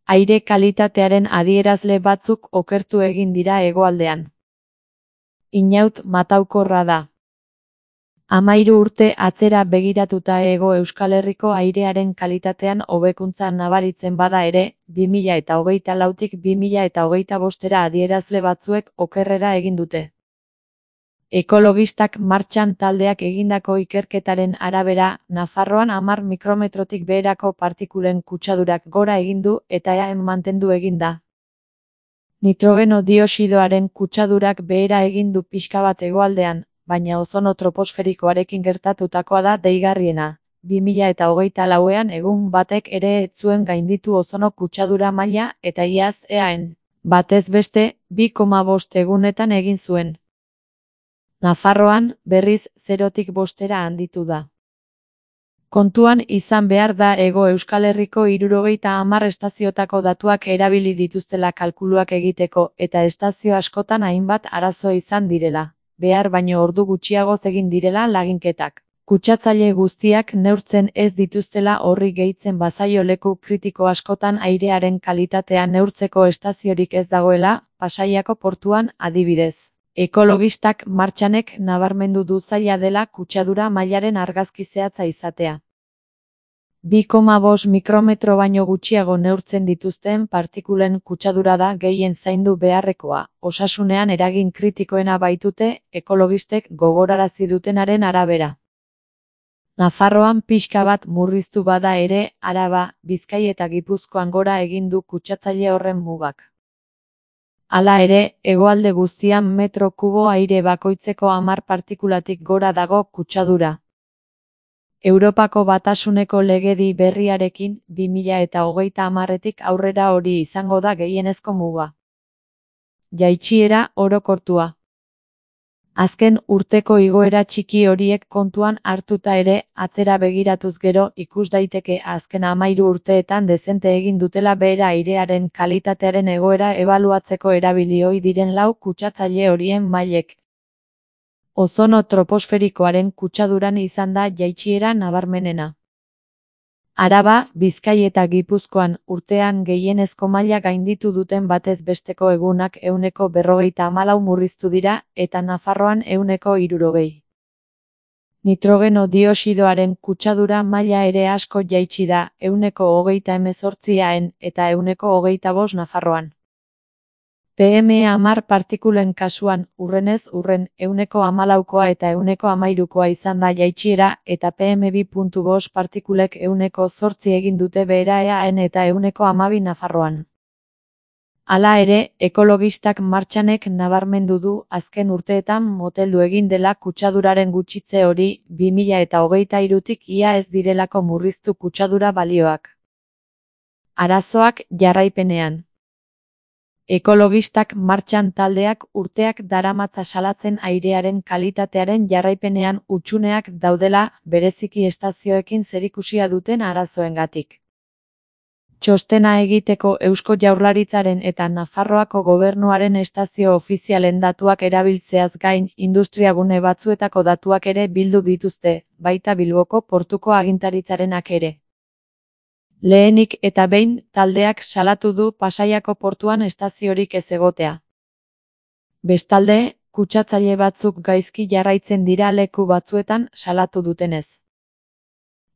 Aire kalitatearen adierazle batzuk okertu egin dira hegoaldean. Inaut mataukorra da. 13 urte atzera begiratuta Hego Euskal Herriko airearen kalitatean hobekuntza nabaritzen bada ere, 2024tik 2025era adierazle batzuek okerrera egin dute. Ekologistak martxan taldeak egindako ikerketaren arabera, Nafarroan 10 mikrometrotik beherako partikulen kutsadurak gora egin du eta eaen mantendu egin da. Nitrogeno dioxidoaren kutsadurak behera egin du pixka bat hegoaldean, baina ozono troposferikoarekin gertatutakoa da deigarriena. 2024ean egun batek ere ez zuen gainditu ozono kutsadura maila eta iaz eaen, batez beste, 2,5 egunetan egin zuen. Nafarroan, berriz 0tik 5era handitu da. Kontuan izan behar da Hego Euskal Herriko 70 estazioetako datuak erabili dituztela kalkuluak egiteko eta estazio askotan hainbat arazo izan direla, behar baino ordu gutxiagoz egin direla laginketak. Kutsatzaile guztiak neurtzen ez dituztela horri gehitzen bazaio leku kritiko askotan airearen kalitatea neurtzeko estaziorik ez dagoela, Pasaiako portuan adibidez. Ekologistak martxanek nabarmendu du zaila dela kutsadura mailaren argazki zehatza izatea. 2,5 mikrometro baino gutxiago neurtzen dituzten partikulen kutsadura da gehien zaindu beharrekoa, osasunean eragin kritikoena baitute, ekologistek gogorarazi dutenaren arabera. Nafarroan pixka bat murriztu bada ere, Araba, Bizkai eta Gipuzkoan gora egin du kutsatzaile horren mugak. Hala ere, hegoalde guztian metro kubo aire bakoitzeko 10 partikulatik gora dago kutsadura. Europako Batasuneko legedi berriarekin 2030etik aurrera hori izango da gehienezko muga. Jaitsiera orokortua. Azken urteko igoera txiki horiek kontuan hartuta ere, atzera begiratuz gero ikus daiteke azken 13 urteetan dezente egin dutela behera airearen kalitatearen egoera ebaluatzeko erabili ohi diren 4 kutsatzaile horien mailek. Ozono troposferikoaren kutsaduran izan da jaitsiera nabarmenena. Araba, Bizkai eta Gipuzkoan urtean gehienezko maila gainditu duten batez besteko egunak 154 murriztu dira eta Nafarroan 160. Nitrogeno dioxidoaren kutsadura maila ere asko jaitsi da 138 eaen eta 125 Nafarroan. PM10 partikulen kasuan, urrenez urren, 114koa eta 113koa izan da jaitsiera eta PM2.5 partikulek 108 egin dute behera eaen eta 112 Nafarroan. Hala ere, ekologistak martxanek nabarmendu du azken urteetan moteldu egin dela kutsaduraren gutxitze hori 2023tik ia ez direlako murriztu kutsadura balioak. Arazoak jarraipenean. Ekologistak martxan taldeak urteak daramatza salatzen airearen kalitatearen jarraipenean hutsuneak daudela bereziki estazioekin zerikusia duten arazoengatik. Txostena egiteko Eusko Jaurlaritzaren eta Nafarroako Gobernuaren estazio ofizialen datuak erabiltzeaz gain industriagune batzuetako datuak ere bildu dituzte, baita Bilboko portuko agintaritzarenak ere. Lehenik eta behin, taldeak salatu du Pasaiako portuan estaziorik ez egotea. Bestalde, kutsatzaile batzuk gaizki jarraitzen dira leku batzuetan salatu dutenez.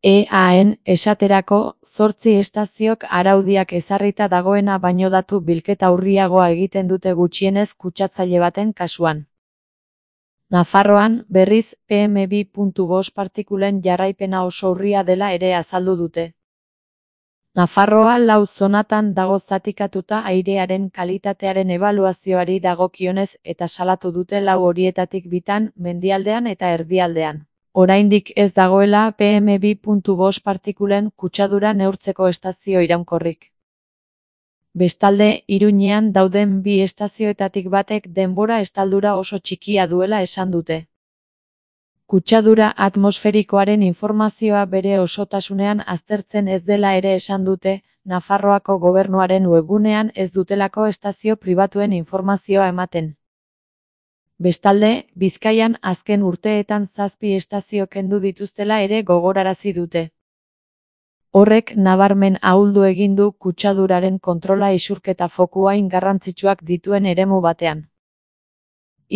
EAen, esaterako, 8 estaziok araudiak ezarrita dagoena baino datu bilketa urriagoa egiten dute gutxienez kutsatzaile baten kasuan. Nafarroan, berriz, PM2.5 partikulen jarraipena oso urria dela ere azaldu dute. Nafarroa 4 zonatan dago zatikatuta airearen kalitatearen ebaluazioari dagokionez eta salatu dute 4 horietatik bitan, mendialdean eta erdialdean. Oraindik ez dagoela PM2.5 partikulen kutsadura neurtzeko estazio iraunkorrik. Bestalde, Iruñean dauden 2 estazioetatik batek denbora estaldura oso txikia duela esan dute. Kutsadura atmosferikoaren informazioa bere osotasunean aztertzen ez dela ere esan dute, Nafarroako Gobernuaren webgunean ez dutelako estazio pribatuen informazioa ematen. Bestalde, Bizkaian azken urteetan 7 estazio kendu dituztela ere gogorarazi dute. Horrek nabarmen ahuldu egin du kutsaduraren kontrola isurketa foku hain garrantzitsuak dituen eremu batean.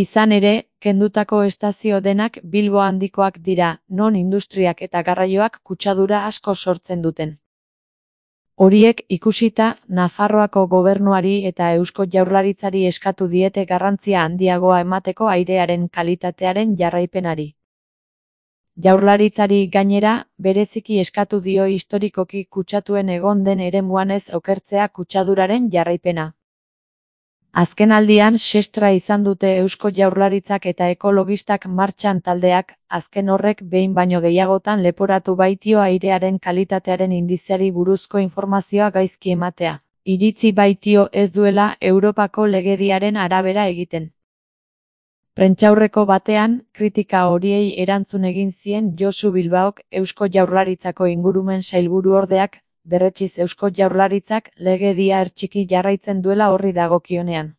Izan ere, kendutako estazio denak Bilbo handikoak dira, non industriak eta garraioak kutsadura asko sortzen duten. Horiek ikusita, Nafarroako gobernuari eta Eusko Jaurlaritzari eskatu diete garrantzia handiagoa emateko airearen kalitatearen jarraipenari. Jaurlaritzari gainera, bereziki eskatu dio historikoki kutsatuen egon den eremuan ez okertzea kutsaduraren jarraipena. Azkenaldian sestra izan dute Eusko Jaurlaritzak eta ekologistak martxan taldeak, azken horrek behin baino gehiagotan leporatu baitio airearen kalitatearen indizeari buruzko informazioa gaizki ematea. Iritzi baitio ez duela Europako legediaren arabera egiten. Prentsaurreko batean, kritika horiei erantzun egin zien Josu Bilbaok, Eusko Jaurlaritzako ingurumen sailburuordeak, berretsiz Eusko Jaurlaritzak legedia hertsiki jarraitzen duela horri dagokionean.